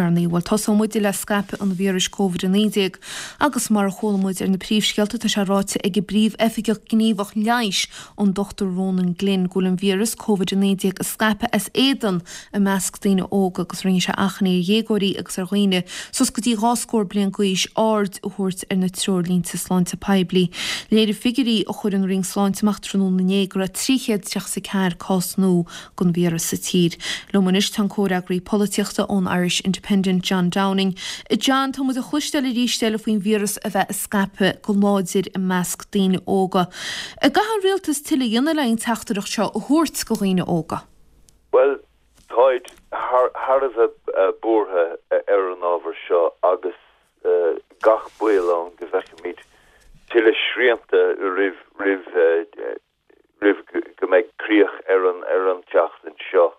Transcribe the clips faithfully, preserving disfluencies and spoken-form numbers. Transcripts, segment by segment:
deireanaí. Bhuel tosóidh muid le scaipeadh an víris Covid a naoi déag agus mar a chuala muid ar na príomhscéalta tá sé ráite ag an bPríomh-Oifigeach Gníomhach Leighis an Dochtúir Ronan Glynn go bhfuil an víreas Covid a naoi déag ag scaipeadh as éadan i measc daoine óga agus rinne sé achainí ar dhéagóirí agus ar dhaoine suas go dtí dhá scór bliain d'aois aird a thabhairt ar na treoirlínte sláinte poiblí. Léirigh figiúirí a chuir an Roinn Sláinte amach tráthnóna inné go raibh trí chéad tríocha is a ceathair cás nua den víreas sa tír. Liom anois tá an comhfhreagraí polaitíochta ón Irish Independent John Downing. John, tá muid ag cloisteáil arís eile faoin víreas a bheith ag scaipeadh go láidir i measc daoine óga. An gcaithfidh an rialtas tuilleadh a dhéanamh le an teachtaireacht seo a thabhairt go dhaoine óga? Bhuel, táid thar a bheith buartha ar an ábhar seo agus gach baol ann go bhfeicfimid tuilleadh srianta roimh roimh roimh go mbeidh críoch ar an ar an tseachtain seo.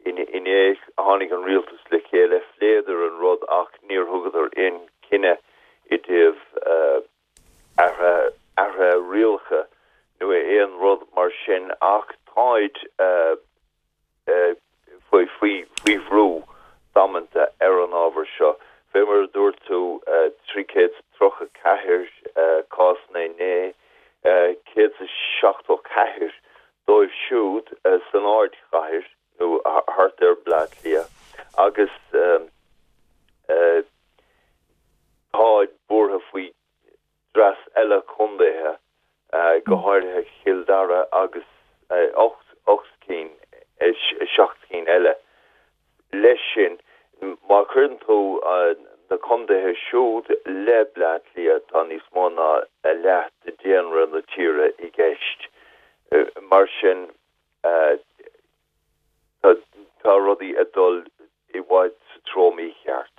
Inné tháinig an rialtas le chéile, phléadar an rud ach níor thugadar aon chinneadh i dtaobh athruithe rialacha nó aon rud mar sin ach táid faoi faoi bhrú damanta ar an ábhar seo. Fé mar a dúirt tú, trí chéad is tríocha ceathair cásanna inné, céad is seachtó ceathair dóibh siúd san ardchathair nó thart ar Bleá Cliath agus táid buartha faoi dreas eile contaetha, go háirithe Chill Dara agus ocht ocht cinn, seacht cinn eile. Leis sin, má chuireann tú na contaetha siúd le Bleá Cliath, tá níos mó ná a leath de dhaonra na tíre i gceist. Mar sin, tá rudaí ag dul i bhfad sa treo mícheart.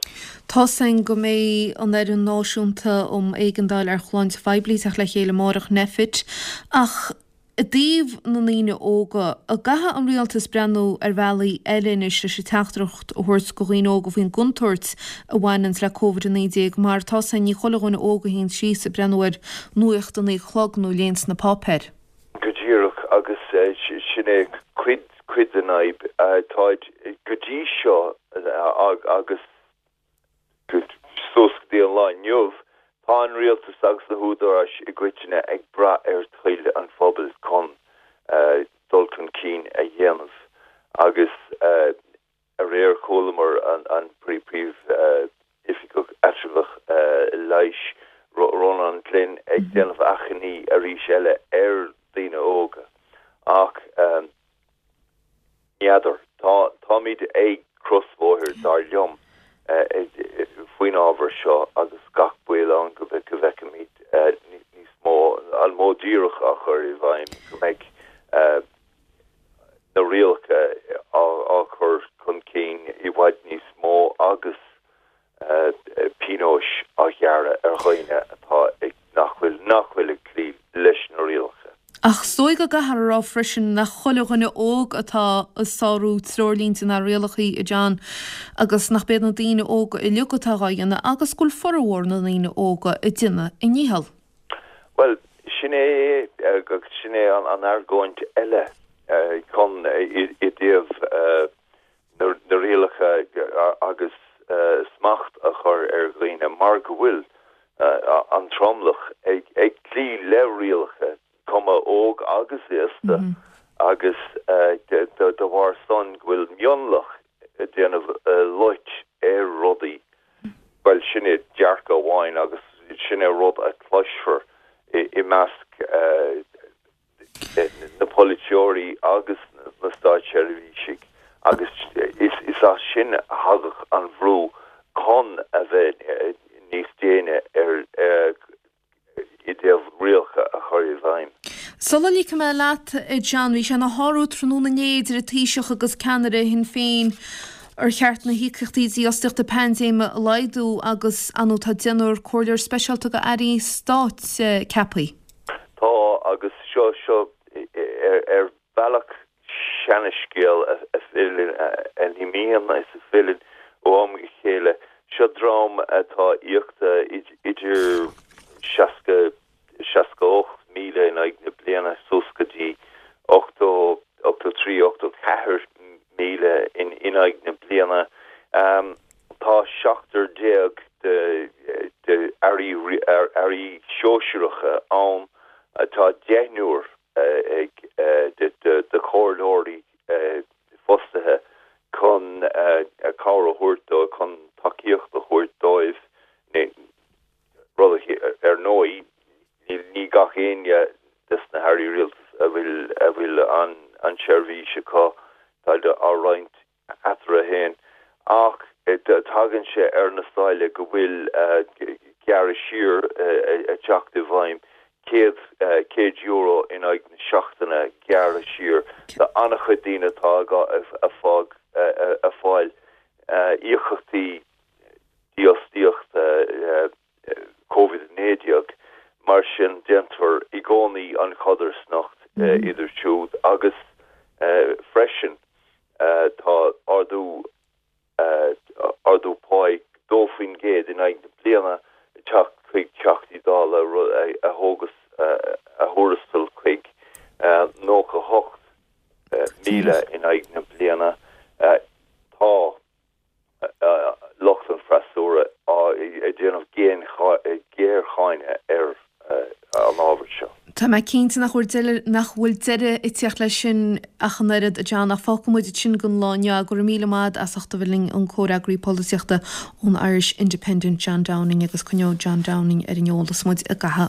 Tá's againn go mbeidh an Fhoireann Náisiúnta um Éigeandáil ar Shláinte Phoiblí ag teacht le chéile amárach, Nphet, ach i dtaobh na ndaoine óga, an gcaithfidh an rialtas breathnú ar bhealaí eile anois leis an teachtaireacht a thabhairt go dhaoine óga faoin gcontúirt a bhaineanns le Covid a naoi déag mar tá's againn ní chuile dhuine óg a théann síos ag breathnú ar nuacht a naoi a chlog nó léanns na páipéir. Go díreach, agus sin é cuid cuid den fhadhb. Táid go dtí seo agus suas go dtí an lá inniu, tá an rialtas agus na húdaráis i gcoitinne ag brath ar thoil an phobail chun dul chun cinn a dhéanamh agus aréir chualamar an Príomh-Oifigeach Eatramhach Leighis, Rónán Glynn, ag déanamh achainí arís eile ar daoine óga ach n'fheadar, tá táimid ag crosbhóthar dar liom faoin ábhar seo agus gach baol ann go bhfeicfimid níos mó, an modh díreach á chur i bhfeidhm, go mbeidh na rialacha á chur chun cinn i bhfad níos mó agus pionóis á ghearradh ar dhaoine atá ag nach bhfuil nach bhfuil ag cloí leis na rialacha. Ach is dóigh go gcaithfear a rá freisin nach chuile dhuine óg atá ag sárú treoirlínte ná rialacha, a John, agus nach b'iad na daoine óga uilig atá dhá dhéanamh agus go bhfuil formhór na ndaoine óga ag déanamh a ndícheall. Bhuel, sin é sin é an argóint eile chun i dtaobh na rialacha agus smacht a chur ar dhaoine mar go bhfuil an tromlach ag cloí le rialacha, cuma óg agus aosta, agus de bharr san go bhfuil mionlach ag déanamh loit ar rudaí, bhuel, sin é dearcadh amháin agus sin é rud a chloisfear i measc na polaiteoirí agus na státseirbhísigh agus is as sin a thagadh an bhrú chun a bheith níos déine ar i dtaobh rialacha a chur i bhfeidhm. Sula ligfidh mé leat, a John, bhí sé ina shárú tráthnóna inné idir an Taoiseach agus ceannaire Shinn Féin ar cheart na híocaíochtaí dífhostaíochta paindéime a laghdú agus, ar ndóigh, tá deichniúr comhairleoir speisialta go airí stáit ceaptha. Tá, agus seo, seo ar bhealach seanascéal a fhilleann, a imíonn is a fhilleann ó am go chéile. Seo dream atá íoctha idir seasca, seasca ocht míle in aghaidh na bliana suas go dtí ochtó, ochtó trí, ochtó ceathair míle in aghaidh na bliana. Tá seachtar déag de de airí airí sóisearacha ann atá deichniúr ag de de chomhairleoirí fostaithe chun cabhair a thabhairt dó chun tacaíocht a thabhairt dóibh ar ndóigh ní gach éinne des na hairí rialtais a bhfuil a bhfuil an an tseirbhís acu tá á roinnt eatarthu féin ach tagann sé ar na sáile go bhfuil gearradh siar ag teacht i bhfeidhm céad céad euro in aghaidh na seachtaine gearradh siar tá an-chuid daoine atá ag fág ag fáil íocaíochtaí dífhostaíochta Covid naoi déag mar sin déantar i gcónaí an chodarsnacht idir siúd agus freisin tá ardú ardú páí dó faoin gcéad in aghaidh na bliana teacht chuig Teachtaí Dála a thógas a thuarastal chuig nócha hocht míle in aghaidh na bliana tá lucht an freasúra ag déanamh géarcháineadh ar an ábhar seo. Tá mé cinnte nach bhfuil nach bhfuil deireadh ag teacht leis sin ach an oiread a John ach fágfaidh muid sin don lá inniu go raibh míle maith as ucht a bheith linn an comhfhreagraí polaitíochta ón Irish Independent John Downing agus coinneoidh John Downing ar an eolas muid i gcaitheamh